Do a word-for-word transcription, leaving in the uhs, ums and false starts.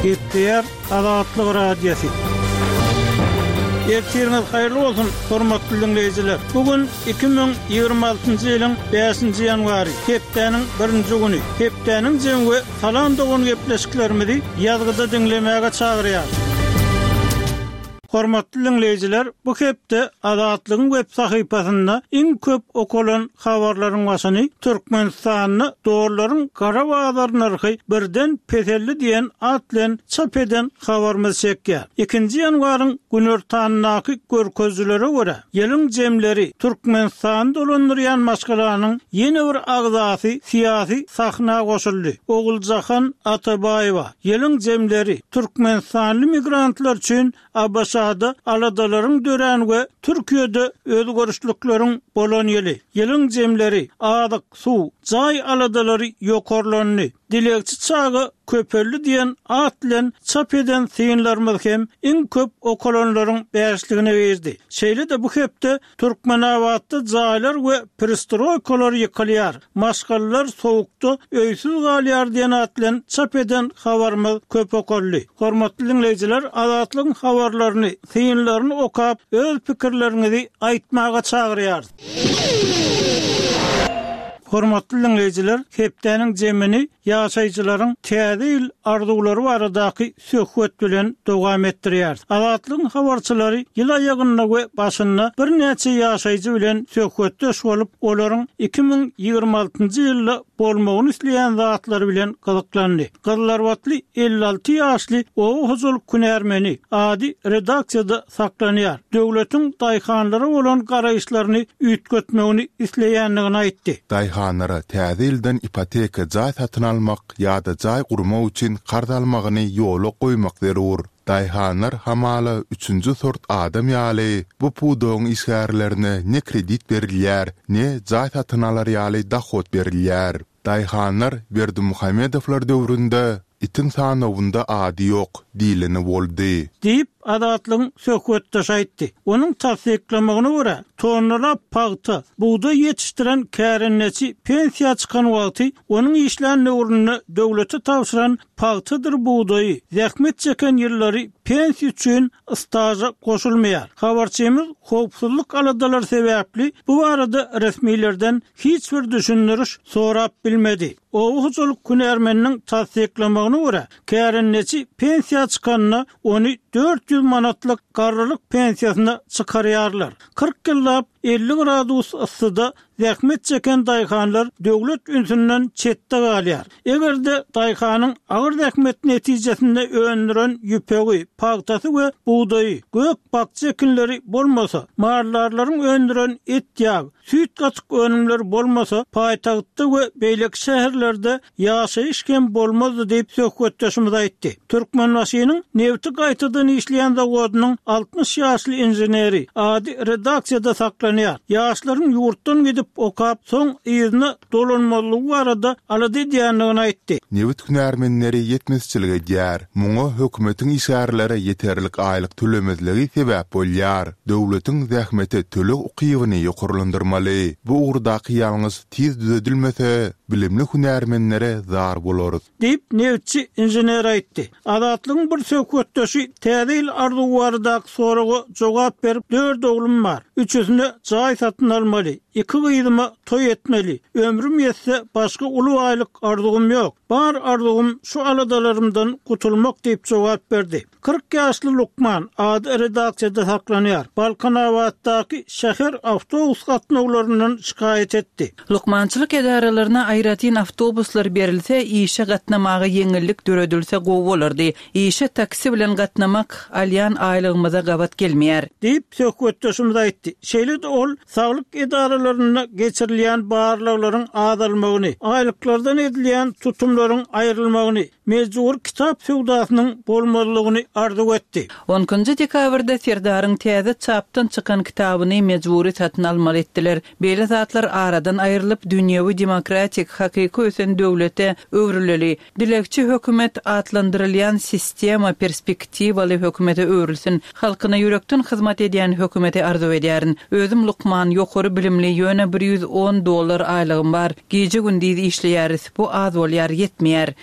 Gepleýär Azatlyk Radiosy. Ertiriňiz haýyrly bolsun, hormatly diňleýjiler. Bu gün iki müň ýigrimi altynjy ýylyň bäşinji ýanwary, hepdäniň birinji güni. Hepdäniň jemi we Salam dogan gepleşiklerimizi ýazgyda diňlemäge çagyrýar. Hormatly diňleýjiler, bu hepde Azatlygyň web sahypasynda iň köp okalan habarlaryň başyny Türkmenistanda dollaryň gara bazar nyrhy birden peseldi diýen at bilen çap eden habarymyz çekýär. Ikinji ýanwaryň günortandaky görkezijilere görä, ýylyň jemleri Türkmenistany dolandyrýan maşgalanyň ýene bir agzasy syýasy sahna goşuldy. Oguljahan Atabaýewa ýylyň jemleri Türkmenistanly migrantlar üçin A B Ş-da aladalaryň dörän we Türkiýede özgerişlikleriň bolan ýyly. Ýylyň jemleri azyk, suw, jaý aladalary ýokarlandy. Dilegçi çaga köpeldi diýen at bilen çap eden synlarymyz hem iň köp okalanlaryň bäşligine girdi. Şeýle-de bu hepde Türkmenabatda jaýlar we perestroýkalar ýykylýar. Maşgalalar sowukda öýsüz galýar diýen at bilen çap eden habarymyz köp okaldy. Hormatly diňleýjiler, Azatlygyň habarlaryny, synlaryny okap, öz pikirleriňizi aýtmaga çagyrýarys. Hormatly diňleýjiler, hepdäniň jemini ýaşaýjylaryň täze ýyl arzuwlary baradaky söhbet bilen dowam etdirýär. Azatlygyň habarçylary ýyl aýagynda we başynda birnäçe ýaşaýjy bilen söhbetdeş bolup, olaryň iki müň ýigrimi altynjy ýylda bolmagyny isleýän zatlary bilen gyzyklandy. Gyzlarbatly elli alty ýaşly oba hojalyk hünärmeni ady redaksiýada saklanýar. Döwletiň daýhanlara bolan garaýyşlaryny üýtgetmegini isleýändigini aýtdy. Daýhanlara täze ýyldan ipoteka jaý satyn almak ýa-da jaý gurmak üçin karz almagyny ýola goýmak zerur. Daýhanlar hamala üçünji sort adam ýaly bu pudagyň işgärlerine ne kredit berilýär, ne jaý satyn alar ýaly dohod berilýär. Daýhanlar Berdimuhamedowlar döwründe itiň sanawynda ady ýok diýleni boldy. Diýip Azatlygyň söhbetdeşi aýtdy. Onuň tassyklamagyna görä, tonnalap pagta, bugdaý ýetişdiren kärendeçi pensiýa çykan wagty onuň işlän döwründe döwlete tabşyran pagtadyr bugdaýy, zähmet çeken ýyllary pensiýa üçin staža goşulmaýar. Habarçymyz howpsuzlyk aladalary sebäpli bu barada resmilerden hiç bir düşündiriş sorap bilmedi. Oba hojalyk hünärmeniniň tassyklamagyna görä, kärendeçi pensiýa çykanda ony dört ýüz manatlyk garrylyk pensiýasyna çykarýarlar. Kyrk ýyllap elli gradus yssyda zähmet çeken daýhanlar döwlet ünsünden çetde galýar. Eger-de daýhanyň agyr zähmet netijesinde öndüren ýüpegi, pagtasy we bugdaýy, gök bakja ekinleri bolmasa, maldarlaryň öndüren et ýag, süýt gatyk önümleri bolmasa, paýtagtda we beýleki şäherlerde ýaşaýyş hem bolmazdy diýip söhbetdeşimiz aýtdy. Türkmenbaşynyň nebti gaýtadan işleýän zawodynyň altmyş ýaşly inženeri ady redaksiýada saklanýar. Ýaşlaryň ýurtdan gidip okap, soň yzyna dolanmazlygy barada alada edýändigini aýtdy. Nebit hünärmenleri ýetmezçilik edýär. Muňa hökümetiň işgärlere ýeterlik aýlyk tölemezligi sebäp bolýar. Döwletiň zähmete töleg ukybyny ýokarlandyrmaly. Bu ugurdaky ýalňyş tiz düzedilmese, bilimli hünärmenlere zar bolarys. Diýip nebitçi inžener aýtdy. Azatlygyň bir söhbetdeşi täze ýyl arzuwy baradaky soraga jogap berip, dört oglum bar. Üçüsine jaý satyn almaly, iki gyzyma toý etmeli. Ömrüm ýetse başga uly baýlyk arzuwym ýok. Bar arzuwym şu aladalarymdan gutulmak diýip jogap berdi. Kyrk ýaşly lukman ady redaksiýada saklanýar. Balkanabatdaky şäher awtobus gatnawlaryndan şikaýat etdi. Lukmançylyk edaralaryna aýratyn awtobuslar berilse, işe gatnamaga ýeňillik döredilse gowy bolardy. Işe taksi bilen gatnamak alýan aýlygymyza gabat gelmeýär. Diýip söhbetdeşimiz aýtdy. Şeýle-de ol saglyk edaralarynda geçirilýän barlaglaryň azalmagyny, aýlyklardan edilýän tutumlaryň aýrylmagyny, mejbur kitap söwdasynyň bolmazlygyny arzuw etdi. On ikinji dekabrda Serdaryň täze çapdan çykan kitabyny mejbury satyn almaly etdiler. Beýle zatlar aradan aýrylyp, dünýewi demokratik, hakyky ösen döwlete öwrüleli. Dilegçi hökümet atlandyrylýan sistema perspektiwaly hökümete öwrülsin. Halkyna ýürekden hyzmat edýän hökümeti arzuw edýärin. Özüm lukman, ýokary bilimli, ýöne bir ýüz on dollar aýlygym bar. Gije gündiz işleýäris. Bu az bolýar, ýetmeýär.